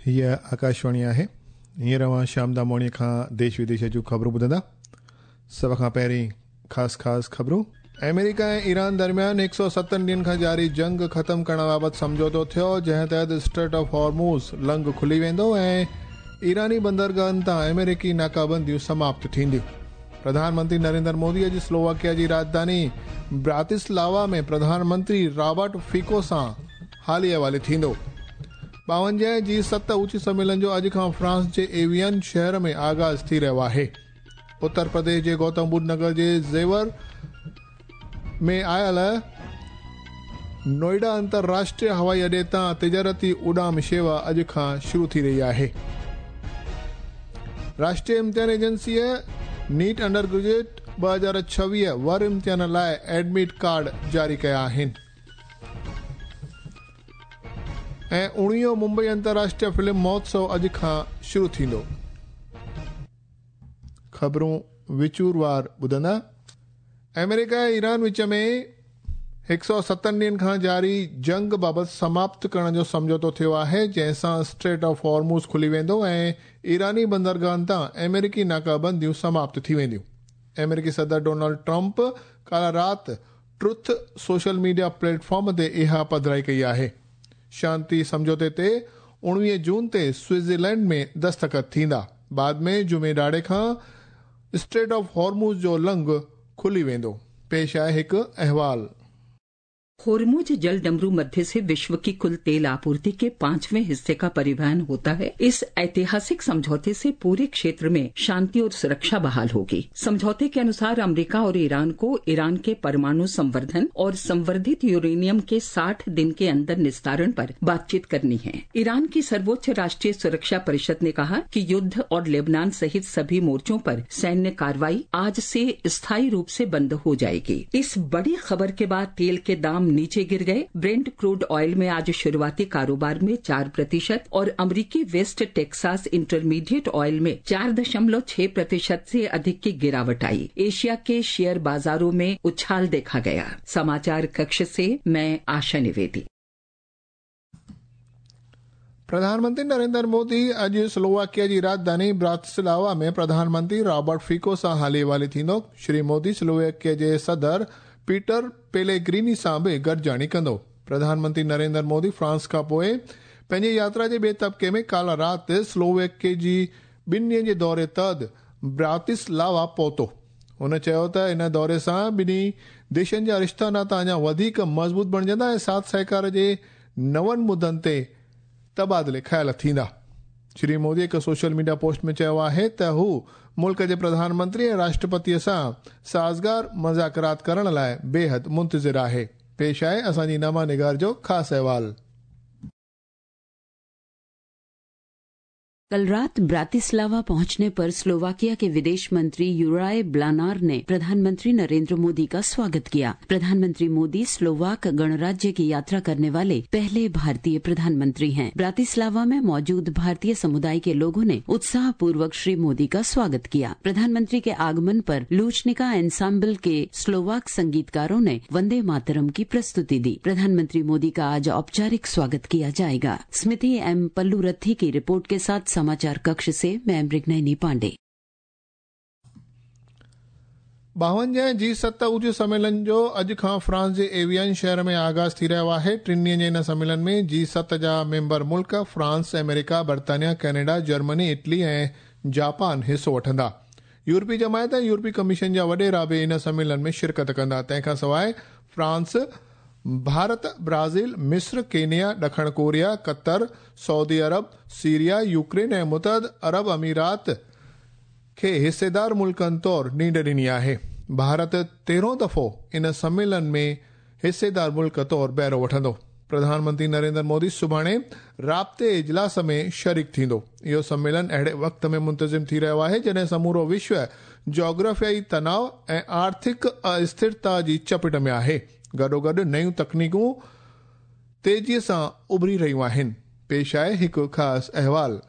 هيء آڪاشواڻي آهي. هينئر اوهان شيام داموڻيء کان ديش وديش جون خبرون ٻڌندا. سڀ کان پهرين خاص خاص خبرون. آمريڪا ۽ ايران درميان هڪ سؤ ستن ڏينهن کان جاري جنگ ختم ڪرڻ بابت سمجهوتو ٿيو، جنهن تحت اسٽريٽ آف هارموز لنگهه کلي ويندو ۽ ايراني بندرگاهن تان آمريڪي ناڪابنديون سماپت ٿينديون. پرڌان منتري نريندر مودي اڄ سلوواڪيا جي راڄڌاني براتسلاوا ۾ پرڌان منتري رابرٽ فيڪو سان حالي احوالي ٿيندو. ٻاونجاهين جي ست اوچ سميلن جو اڄ کان فرانس جي ايوين شهر ۾ آغاز ٿي رهيو آهي. اتر پرديش جي گوتم ٻڌ نگر جي زيور ۾ آيل نوئيڊا انترراشٽريه هوائي اڏي تان تجارتي اڏام شيوا اڄ کان شروع ٿي رهي آهي. راشٽريه امتحان ايجنسيء نيٽ انڊر گريجوئيٽ 2026 ور امتحان لاء ايڊمٽ ڪارڊ جاري ڪيا آهن. ۽ اوڻويهون ممبئي انترراشٽريه فلم مهوتسو اڄ کان شروع ٿيندو. خبرون وچوروار ٻڌندا. آمريڪا ۽ ايران وچ ۾ هڪ سؤ ستن ڏينهن کان جاري جنگ بابت سماپت ڪرڻ جو سمجهوتو ٿيو آهي، جنهن سان اسٽريٽ آف هارموز کلي ويندو ۽ ايراني بندرگاهن تان آمريڪي ناڪابنديون سماپت ٿي وينديون. آمريڪي صدر ڊونلڊ ٽرمپ ڪالهه رات truth social media plate form تي اها پڌرائي ڪئي آهي. شانتي سمجهوتي تي اوڻويهه جون تي سوئٽزرلينڊ ۾ دستخط ٿيندا. بعد ۾ جمعي ڏهاڙي کان اسٽريٽ آف هارموز جو لنگهه کلي ويندو. پيش آهي هڪ احوال. होर्मुज जल डमरू मध्य से विश्व की कुल तेल आपूर्ति के पांचवें हिस्से का परिवहन होता है। इस ऐतिहासिक समझौते से पूरे क्षेत्र में शांति और सुरक्षा बहाल होगी। समझौते के अनुसार अमेरिका और ईरान को ईरान के परमाणु संवर्धन और संवर्धित यूरेनियम के 60 दिन के अंदर निस्तारण पर बातचीत करनी है। ईरान की सर्वोच्च राष्ट्रीय सुरक्षा परिषद ने कहा कि युद्ध और लेबनान सहित सभी मोर्चों पर सैन्य कार्रवाई आज से स्थायी रूप से बंद हो जाएगी। इस बड़ी खबर के बाद तेल के दाम नीचे गिर गए। ब्रेंट क्रूड ऑयल में आज शुरुआती कारोबार में 4% और अमरीकी वेस्ट टेक्सास इंटरमीडिएट ऑयल में 4.6% से अधिक की गिरावट आई। एशिया के शेयर बाजारों में उछाल देखा गया। समाचार कक्ष से मैं आशा निवेदी। प्रधान मंत्री नरेंद्र मोदी अॼु स्लोवाकिया जी राजधानी ब्रातिस्लावा में प्रधानमंत्री रॉबर्ट फीको सां हाली हवाली थींदो। श्री मोदी स्लोवाकिया जे सदर पीटर पेलेग्रीनी सां बि गॾिजाणी कंदो। प्रधानमंत्री नरेंद्र मोदी फ्रांस खां पोइ पंहिंजी यात्रा जे ॿिए तबिके में काल्ह राति स्लोवाकिया जी ॿिनि ॾींहनि जे दौरे तहत ब्रातिस्लावा पहुतो। हुन चयो त इन दौरे सां ॿिन्ही देशनि जा रिश्ता नाता अञा वधीक मज़बूत बणिजंदा ऐं साथ सहकार जे नवनि मुद्दनि ते तबादिले ख़्याल थींदा। श्री मोदी हिकु सोशल मीडिया पोस्ट में चयो आहे त हू मुल्क जे प्रधानमंत्री ऐं राष्ट्रपतीअ सां साज़गार मुज़ाकरात करण लाइ बेहद मुंतज़िर आहे। पेश आहे असांजी नमा निगार जो ख़ासि अहवाल। कल रात ब्रातिस्लावा पहुंचने पर स्लोवाकिया के विदेश मंत्री यूराय ब्लानार ने प्रधानमंत्री नरेंद्र मोदी का स्वागत किया। प्रधानमंत्री मोदी स्लोवाक गणराज्य की यात्रा करने वाले पहले भारतीय प्रधानमंत्री हैं। ब्रातिस्लावा में मौजूद भारतीय समुदाय के लोगों ने उत्साह पूर्वक श्री मोदी का स्वागत किया। प्रधानमंत्री के आगमन पर लूचनिका एंसाम्बल के स्लोवाक संगीतकारों ने वंदे मातरम की प्रस्तुति दी। प्रधानमंत्री मोदी का आज औपचारिक स्वागत किया जाएगा। स्मृति एम पल्लूरथी की रिपोर्ट के साथ समाचार कक्ष से मैं मृगनयनी पांडे। ॿावंजाह जी सत उच्च सम्मेलन जो अॼु खां फ्रांस जे एवियन शहर में आगाज़ थी रहियो आहे। टिनि ॾींहनि जे इन सम्मेलन में जी सत जा मेंबर मुल्क फ्रांस, अमेरिका, बर्तानिया, कनाडा, जर्मनी, इटली ऐं जापान हिसो वठंदा। यूरोपी जमायत ऐं यूरोपी कमीशन जा वॾेरा बि इन सम्मेलन में शिरकत कंदा। तंहिंखां सवाइ फ्रांस, भारत, ब्राज़ील, मिस्र, केनिया, ॾखण कोरिया, कतर, सऊदी अरब, सीरिया, यूक्रेन ऐं मुतहद अरब अमीरात खे हिस्सेदार मुल्कनि तौर नींड ॾिनी आहे। भारत तेरहों दफ़ो इन सम्मेलन में हिस्सेदार मुल्क तौर बहिरो वठंदो। प्रधानमंत्री नरेंद्र मोदी सुभाणे राब्ते इजलास में शरीक थींदो। इहो सम्मेलन अहिड़े वक़्त में मुंतज़िम थी रहियो आहे जॾहिं समूरो विश्व जोग्राफियाई तनाव ऐं आर्थिक अस्थिरता जी चपेट में आहे। गॾोगॾु नयूं तकनीकूं तेज़ीअ सां उभरी रहियूं आहिनि। पेश आहे हिकु ख़ासि अहवाल।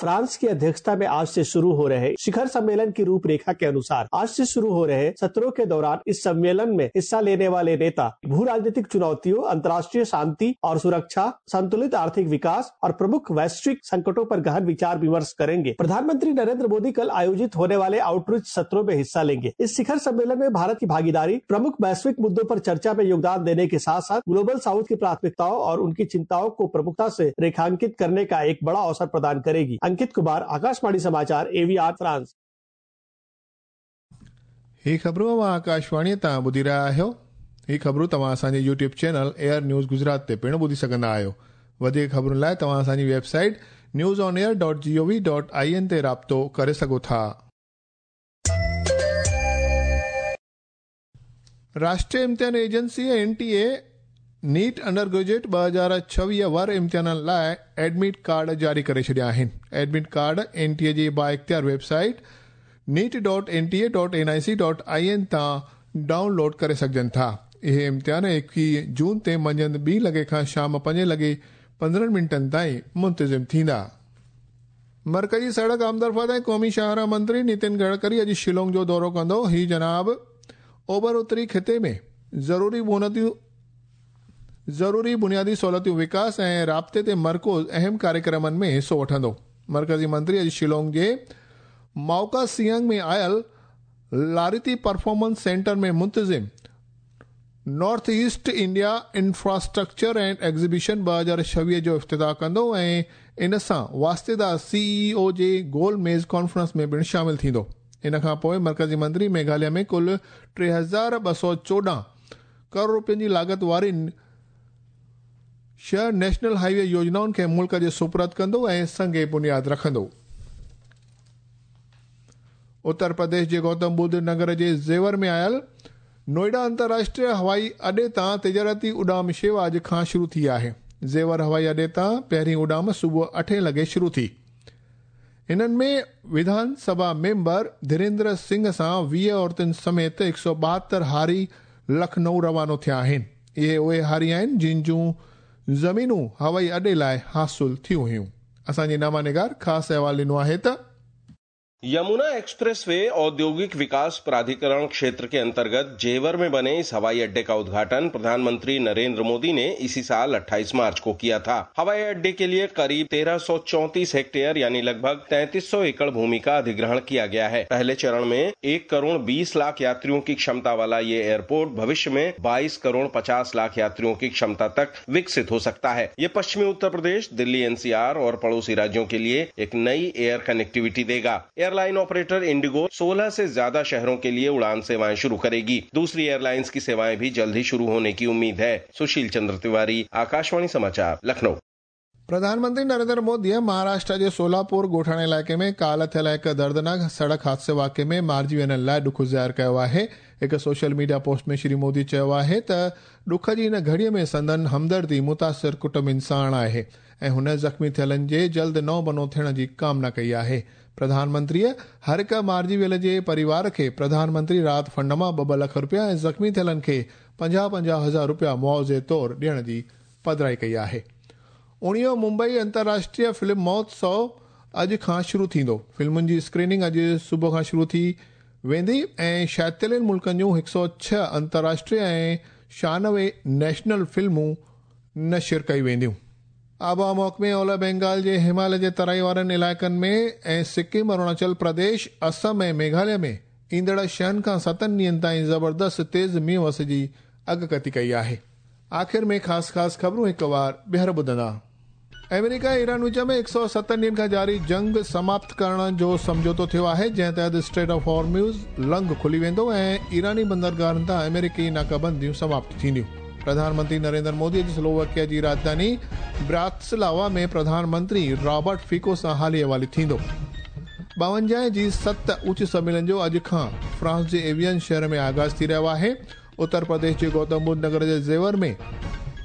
फ्रांस की अध्यक्षता में आज से शुरू हो रहे शिखर सम्मेलन की रूपरेखा के अनुसार आज से शुरू हो रहे सत्रों के दौरान इस सम्मेलन में हिस्सा लेने वाले नेता भू राजनीतिक चुनौतियों, अंतर्राष्ट्रीय शांति और सुरक्षा, संतुलित आर्थिक विकास और प्रमुख वैश्विक संकटों पर गहन विचार विमर्श करेंगे। प्रधानमंत्री नरेंद्र मोदी कल आयोजित होने वाले आउटरीच सत्रों में हिस्सा लेंगे। इस शिखर सम्मेलन में भारत की भागीदारी प्रमुख वैश्विक मुद्दों पर चर्चा में योगदान देने के साथ साथ ग्लोबल साउथ की प्राथमिकताओं और उनकी चिंताओं को प्रमुखता से रेखांकित करने का एक बड़ा अवसर प्रदान करेगी। अंकित कुमार, आकाशवाणी समाचार, एवीआर, फ्रांस। ही ख़बरूं अव्हां आकाशवाणीअ तां ॿुधी रहिया आहियो। ही ख़बरूं तव्हां असांजे YouTube channel AIR news Gujarat ते पिणु ॿुधी सघंदा आहियो। वधीक ख़बरुनि लाइ तव्हां असांजी वेबसाइट newsonair.gov.in ते राब्तो करे सघो था। राष्ट्रीय इम्तिहान agency NTA NEET under graduate 2026 वर इम्तिहाननि लाइ एडमिट कार्ड जारी करे छॾिया आहिनि। एडमिट कार्ड एनटीए जी बाइख़्तियार वेबसाइट neet.nta.nic.in तां डाउनलोड करे सघजनि था। इहे इम्तिहान 21 जून ते मंझंदि 2 लॻे खां शाम 5 लॻे 15 मिंटनि ताईं मुंतज़िम थींदा। मरकज़ी सड़क आमदरफ़्त ऐं क़ौमी शाहराह मंत्री नितिन गडकरी अॼु शिलोंग जो दौरो कंदो। ही जनाब ओभर उत्तरी ख़िते में ज़रूरी बुनियादी सहूलियतूं विकास ऐं राब्ते ते मरकूज़ अहम कार्यक्रमनि में हिसो वठंदो। मरकज़ी मंत्री अॼु शिलोंग जे माउका सियांग में आयल लारिती परफॉर्मेंस सेंटर में मुंतज़िम north east India infrastructure and exhibition 2026 जो इफ्तिताह कंदो ऐं इन सां वास्तेदार सीईओ जे गोल मेज़ कॉन्फ्रेंस में पिणु शामिल थींदो। इन खां पोइ मरकज़ी मंत्री मेघालय में कुल 3214 करोड़ रुपयनि जी लागत वारी 6 नेशनल हाईवे योजनाउनि खे मुल्क जे सुपुर्द कंदो ऐं संगे बुनियाद रखंदो। उत्तर प्रदेश जे गौतम बुद्ध नगर जे ज़ेवर में आयल नोएडा अंतर्राष्ट्रीय हवाई अॾे तां तिजारती उॾाम शेवा अॼु खां शुरू थी आहे। ज़ेवर हवाई अॾे तां पहिरीं उॾाम सुबुह 8 लॻे शुरू थी। हिननि में विधानसभा मेंबर धीरेन्द्र सिंह सां 20 औरतुनि समेत 172 हारी लखनऊ रवानो थिया आहिनि। इहे उहे हारी आहिनि जिन जूं ज़मीनूं हवाई अॾे लाइ हासिल थियूं हुयूं। असांजे नामा निगार ख़ासि अहवाल ॾिनो आहे त यमुना एक्सप्रेसवे औद्योगिक विकास प्राधिकरण क्षेत्र के अंतर्गत जेवर में बने इस हवाई अड्डे का उद्घाटन प्रधानमंत्री नरेंद्र मोदी ने इसी साल 28 मार्च को किया था। हवाई अड्डे के लिए करीब 1334 हेक्टेयर यानी लगभग 3300 एकड़ भूमि का अधिग्रहण किया गया है। पहले चरण में 1 करोड़ 20 लाख यात्रियों की क्षमता वाला ये एयरपोर्ट भविष्य में 22 करोड़ 50 लाख यात्रियों की क्षमता तक विकसित हो सकता है। ये पश्चिमी उत्तर प्रदेश, दिल्ली एनसीआर और पड़ोसी राज्यों के लिए एक नई एयर कनेक्टिविटी देगा। एयरलाइन ऑपरेटर इंडिगो 16 से ज्यादा शहरों के लिए उड़ान सेवाएं शुरू करेगी। दूसरी एयरलाइंस की सेवाएं भी जल्द ही शुरू होने की उम्मीद है। सुशील चंद्र तिवारी, आकाशवाणी समाचार, लखनऊ। प्रधानमंत्री नरेंद्र मोदी महाराष्ट्र के सोलापुर ॻोठाणे इलाइक़े में काल थियल हिकु दर्दनाक सड़क हादसे वाक़िए में मारिजी वियलनि लाइ ॾुख ज़ाहिर कयो आहे। हिकु सोशल मीडिया पोस्ट में श्री मोदी चयो आहे त ॾुख जी हिन घड़ीअ में संदन हमदर्दी मुतासिर कुटुंबनि साण आहे ऐं हुन ज़ख़्मी थियलनि जे जल्द नओं बनो थियण जी कामना कई आहे। प्रधानमंत्रीअ हर हिकु मारिजी वियल जे परिवार खे प्रधानमंत्री राहत फंड मां 2-2 लख रुपया ऐं ज़ख़्मी थियलनि खे 50-50 हज़ार रुपया मुआवज़े तौर ॾियण जी पधराई कई आहे। 19 मुंबई अंतर्राष्ट्रीय फिल्म महोत्सव अॼु खां शुरू थींदो। फिल्मुनि जी स्क्रीनिंग अॼु सुबुह खां शुरू थी वेंदी ऐं 46 मुल्कनि जूं 106 अंतर्राष्ट्रीय ऐं 96 नेशनल फिल्मूं नशर कई वेंदियूं। आबहावा महकमे ओलह बंगाल जे हिमालय जे तराई वारनि इलाइक़नि में ऐं सिक्किम, अरुणाचल प्रदेश, असम ऐं मेघालय में ईंदड़ 6 खां 7 ॾींहनि ताईं ज़बरदस्त तेज़ मींहुं वस जी अॻकथी कई आहे। आख़िर में ख़ासि ख़ासि ख़बरूं हिकु वार ॿीहर ॿुधंदा। अमेरिका ऐं ईरान विच में 107 ॾींहनि खां जारी जंग समाप्त करण जो सम्झौतो थियो आहे, जंहिं तहत स्ट्रेट ऑफ हॉर्म्यूज़ लंघ खुली वेंदो ऐं ईरानी बंदरगाहनि तां अमेरिकी नाकाबंदियूं समाप्त थींदियूं। प्रधानमंत्री नरेंद्र मोदी अॼु स्लोवाकिया जी राजधानी ब्रातिस्लावा में प्रधानमंत्री रॉबर्ट फिको सां हाली हवाली थींदो। 52 जी 7 उच्च सम्मेलन जो अॼु खां फ्रांस जे एवियन शहर में आगाज़ थी रहियो आहे। उत्तर प्रदेश जे गौतम बुद्ध नगर जे ज़ेवर में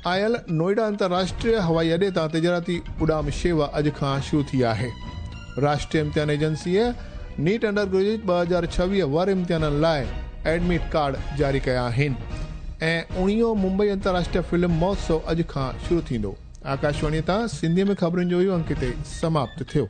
आयल नोएडा अंतर्राष्ट्रीय हवाई अॾे तां तिजारती उॾाम शेवा अॼु खां शुरू थी आहे। राष्ट्रीय इम्तिहान एजेंसीअ नीट अंडर ग्रेजुएट 2026 वर इम्तिहाननि लाइ एडमिट कार्ड जारी कया आहिनि ऐं 19 मुंबई अंतर्राष्ट्रीय फिल्म महोत्सव अॼु खां शुरू थींदो। आकाशवाणी तां सिंधीअ में ख़बरुनि जो इहो अंक हिते समाप्त थियो।